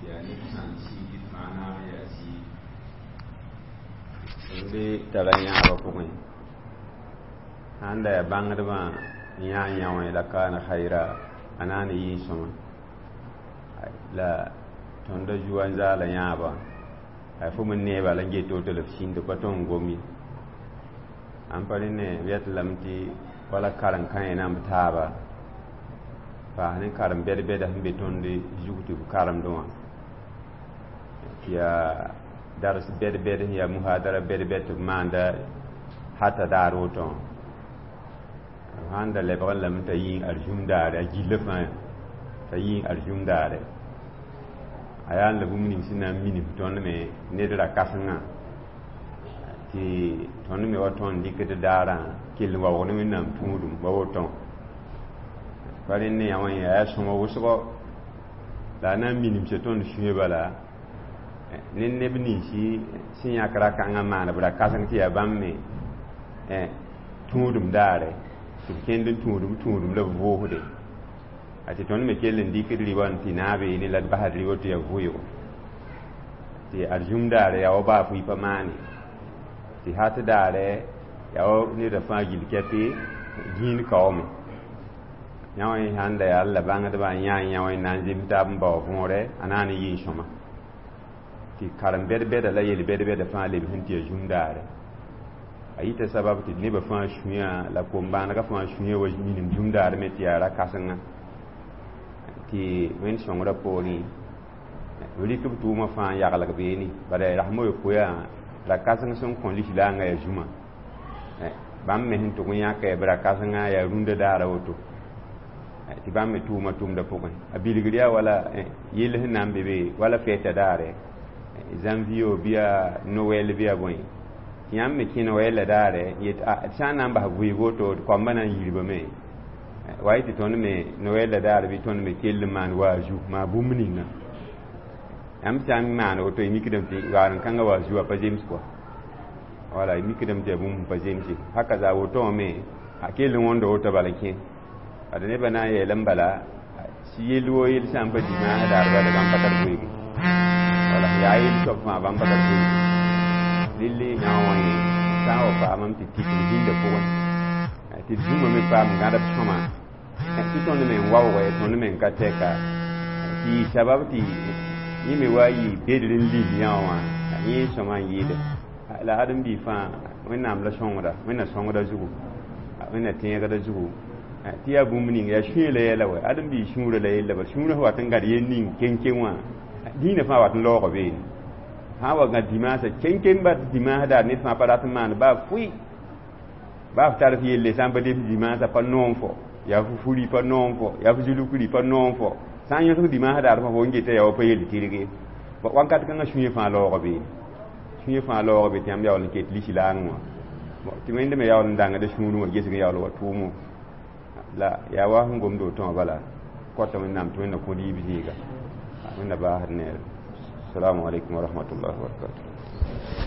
Tɩ yaa neb sã n siigi fãa naag n yaa zĩig. Tõnd tara yãabã pʋgẽ, sãn da yaa bãngdbã n yã yã wã la kaana khayra, a na n yɩ sõma. La tõnd da zu n zaala yãabã, a fo me neeba la n get woto la f sĩnd pa tõnd n gom ye. Ãn pa rẽ ne b yet lame tɩ wala karen-kã yẽ namb taaba paas ne karen bɛd-bɛda sẽn be tõnd zug tɩ b karemdẽ wã, tɩ yaa dars bɛd-bɛd sẽn yaa muhadara bɛd-bɛd tɩ b maanda hata daar woto wã. B sãn da lebg n lame t'a yĩng arzũm daare, a gilla fãa t'a yĩng arzũm daare, a yaa n la bũmb ning sẽn na n minim tõnd me ned ra-kãsengã, tɩ tõnd me wa tõnd dɩkd daarã kell n waoog ne Wẽnnaam tũudum wa woto. Pa rẽnd ne yã wã yaa sõma wʋsgo la a na n minimsa tõnd sũyã bala ne neb ninsi sẽn yãk ra-kãngã maan b ra-kãseng tɩ yaa bãmb me tũudum daare, tɩ b kẽnd n tũudum tũudum la b vʋʋsde, a tɩ tõnd me kell n dɩkd rɩ-wã n tɩ naabeene la d basd rɩ woto yaa vʋɩgo, tɩ arzũm daare yaa wa baa fʋɩ pa maane, tɩ hat daare yaa wa neda fãa gill kɛpɩ gĩin kaoome. Yã wã sãn da yaa la bãngdbã n yã yã wã n na n zems taab n bao võore, a na n yɩ n sõma, tɩ karen bɛd-bɛda la yel bɛd-bɛda fãa lebs n tɩ yaa zũm daare. A yita sabab tɩ nebã fãa sũyã la kom-bãanegã fãa sũyã wa minim zũm daar me tɩ yaa ra-kãsenga, tɩ Wẽnd sõngrã poorẽ b rɩk b tʋʋmã fãa n yaglg beene. Bala rasem a yopoe yaa ra-kãseng sẽn kõ lislaangã yaa zũma, bãmb me sẽn tʋg n yãka b ra-kãsengã yaa rũndã daara woto, tɩ bãmb me tʋʋma tʋmdã pʋgẽ. A bilgr yaa wala yell sẽn na n be be wala fɛɛta daare, janvier bɩ yaa Noɛl bɩ yaa bõe, tɩ yãmb me kẽ Noɛl daare n yet d sã n na n bas vɩɩg woto, d koambã na n yirbame wa yɩ tɩ tõnd me Noɛl daar bɩ tõnd me kell n maan waazu maa bũmb ninga. Yãmb sã n maan woto, y mikdame tɩ waar-n-kãngã waazu a pa zems kɔa, wala y mikdame tɩ yaa bũmb pa zemse. Haka za woto wã me a kell n wõnda woto bala kẽ ad nebã na n yeelame bala sɩ yell woo yell sã n pa dimaasã daar bala bãmb pa tar vɩɩge, wala yaa yell soab fãa bãmb pa tar vɩɩge. Lilli yã wã yẽ sã n wa paamame tɩ tɩk d zĩndã pʋgẽ, tɩ d zũma me paam gãdb sõma, tɩ tõnd me n waoogɛ, tõnd me n ka tɛka, tɩ yɩ sabab tɩ yẽ me wa yɩ bedr n lil yã wã yẽ sõma n yɩɩde. La ãdem-biig fãa Wẽnnaam la sõngda, Wẽnna sõngda zugu, Wẽnna tẽegda zugu, tɩ yaa bũmb ning yaa sũyã la yɛla wɛ. Ãdem-biig sũurã la yella bal sũurã sẽn wat n gãd yel ning keŋ-keŋ wã, dĩinã fãa wat n laooga beene. Sã n wa gãd dimaasã keŋ-keŋ ba dimaas daar ned fãa pa rat n maan baa fʋɩ baa f tar f yelle sã n pa dems dimaasã pa noom fo, yaa fo furi pa noom fo, yaa fo zulukri pa noom fo, sã n yõsg dimaas daar fo n geta yaa wa pa yel tɩrge wakat kãngã sũyã fãa laooga beene, sũyã fãa laooga be tɩ yãmb yaool n ket lislaang wã tɩ Wẽnd me yaool n dãngda sũurẽ wã gesg n yaool wa tʋʋmo la yaa wa sẽn gomd woto wã bala kota Wẽnnaam tɩ Wẽnna kõ yiib zĩiga, Wẽnna baasd neere. Assalamu alaikum wa rahmatullahi wa barakatuh.